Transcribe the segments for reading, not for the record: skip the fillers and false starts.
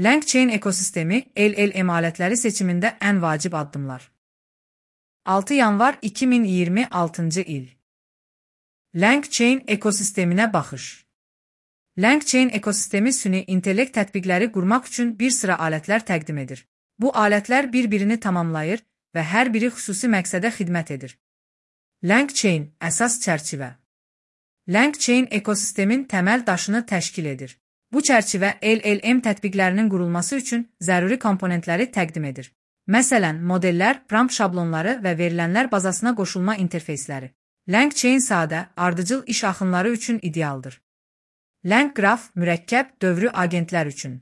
LangChain ekosistemi, LLM alətləri seçimində ən vacib addımlar. 6 yanvar 2026 il. LangChain ekosisteminə baxış. LangChain ekosistemi süni intellekt tətbiqləri qurmaq üçün bir sıra alətlər təqdim edir. Bu alətlər bir-birini tamamlayır və hər biri xüsusi məqsədə xidmət edir. LangChain əsas çərçivə. LangChain ekosistemin təməl daşını təşkil edir. Bu çərçivə LLM tətbiqlərinin qurulması üçün zəruri komponentləri təqdim edir. Məsələn, modellər, prompt şablonları və verilənlər bazasına qoşulma interfeysləri. LangChain sadə, ardıcıl iş axınları üçün idealdır. LangGraph mürəkkəb, dövrü agentlər üçün.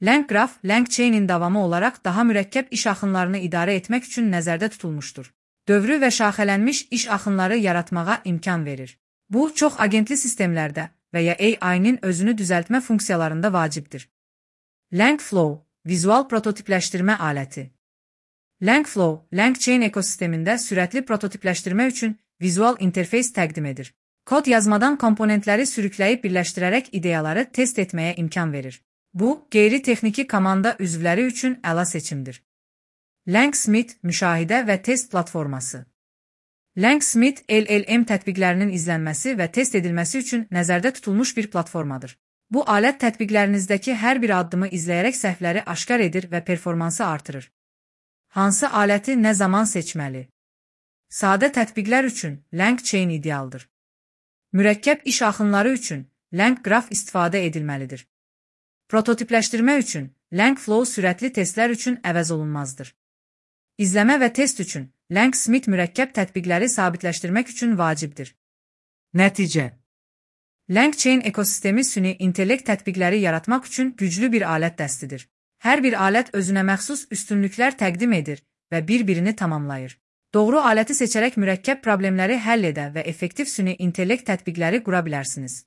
LangGraph, LangChain'in davamı olaraq daha mürəkkəb iş axınlarını idarə etmək üçün nəzərdə tutulmuşdur. Dövrü və şaxələnmiş iş axınları yaratmağa imkan verir. Bu, çox agentli sistemlərdə və ya AI-nin özünü düzəltmə funksiyalarında vacibdir. LangFlow, vizual prototipləşdirmə aləti. LangFlow, LangChain ekosistemində sürətli prototipləşdirmə üçün vizual interfeys təqdim edir. Kod yazmadan komponentləri sürükləyib birləşdirərək ideyaları test etməyə imkan verir. Bu, qeyri-texniki komanda üzvləri üçün əla seçimdir. LangSmith, müşahidə və test platforması. LangSmith, LLM tətbiqlərinin izlənməsi və test edilməsi üçün nəzərdə tutulmuş bir platformadır. Bu alət tətbiqlərinizdəki hər bir addımı izləyərək səhvləri aşkar edir və performansı artırır. Hansı aləti nə zaman seçməli? Sadə tətbiqlər üçün LangChain idealdır. Mürəkkəb iş axınları üçün LangGraph istifadə edilməlidir. Prototipləşdirmə üçün LangFlow sürətli testlər üçün əvəz olunmazdır. İzləmə və test üçün LangSmith mürəkkəb tətbiqləri sabitləşdirmək üçün vacibdir. Nəticə. LangChain ekosistemi süni intellekt tətbiqləri yaratmaq üçün güclü bir alət dəstidir. Hər bir alət özünə məxsus üstünlüklər təqdim edir və bir-birini tamamlayır. Doğru aləti seçərək mürəkkəb problemləri həll edə və effektiv süni intellekt tətbiqləri qura bilərsiniz.